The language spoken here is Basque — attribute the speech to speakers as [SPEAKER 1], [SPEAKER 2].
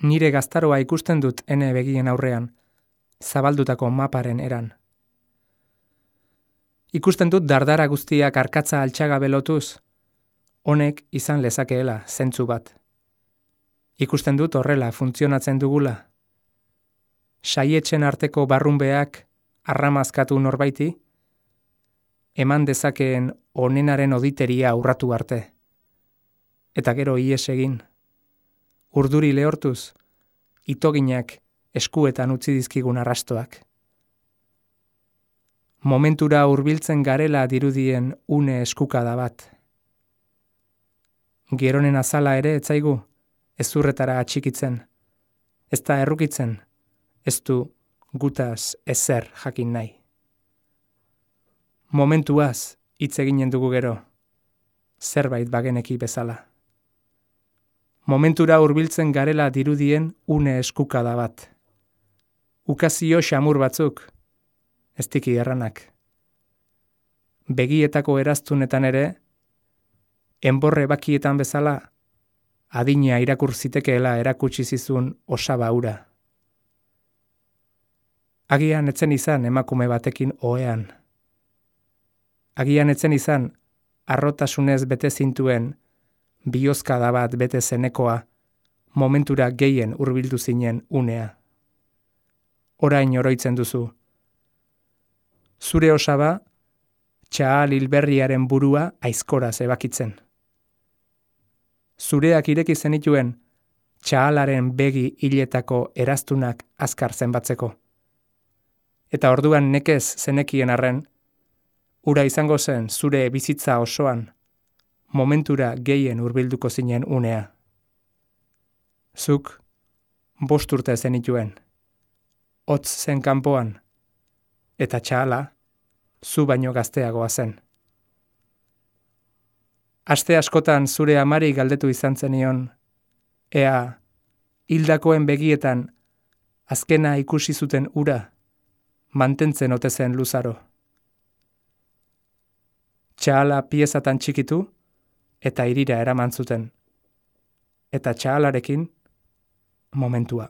[SPEAKER 1] Nire gaztaroa ikusten dut ene begien aurrean, zabaldutako maparen eran. Ikusten dut dardara guztiak arkatza altxaga belotuz, honek izan lezakeela zentzu bat. Ikusten dut horrela funtzionatzen dugula. Saietzen arteko barrunbeak arramazkatu norbaiti, eman dezakeen onenaren oditeria urratu arte. Eta gero ies egin. Urduri lehortuz, itoginak eskuetan utzi dizkigun arrastoak. Momentura hurbiltzen garela dirudien une eskukada bat. Geronen azala ere etzaigu, ezurretara atxikitzen. Ez da errukitzen, ez du gutaz ezer jakin nahi. Momentuaz hitz eginen dugu gero, zerbait bageneki bezala. Momentura hurbiltzen garela dirudien une eskukada bat. Ukazio xamur batzuk, ez tiki erranak. Begietako eraztunetan ere, enborre bakietan bezala, adina irakur zitekeela erakutsi zizun osaba hura. Agian etzen izan emakume batekin ohean. Agian etzen izan harrotasunez bete zintuen bihozkada bat bete zenekoa momentura gehien hurbildu zinen unea. Orain oroitzen duzu. Zure osaba, txahal hilberriaren burua aizkoraz ebakitzen. Zureak ireki zenituen txahalaren begi hiletako eraztunak azkar zenbatzeko. Eta orduan nekez zenekien arren, ura izango zen zure bizitza osoan, momentura gehien hurbilduko zinen unea. Zuk 5 urte zenituen, hotz zen kanpoan, eta txahala zu baino gazteagoa zen. Aste askotan zure amari galdetu izan zenion, ea hildakoen begietan azkena ikusi zuten ura, mantentzen ote zen luzaro. Txahala piezatan txikitu eta hirira eraman zuten. Eta txahalarekin momentua.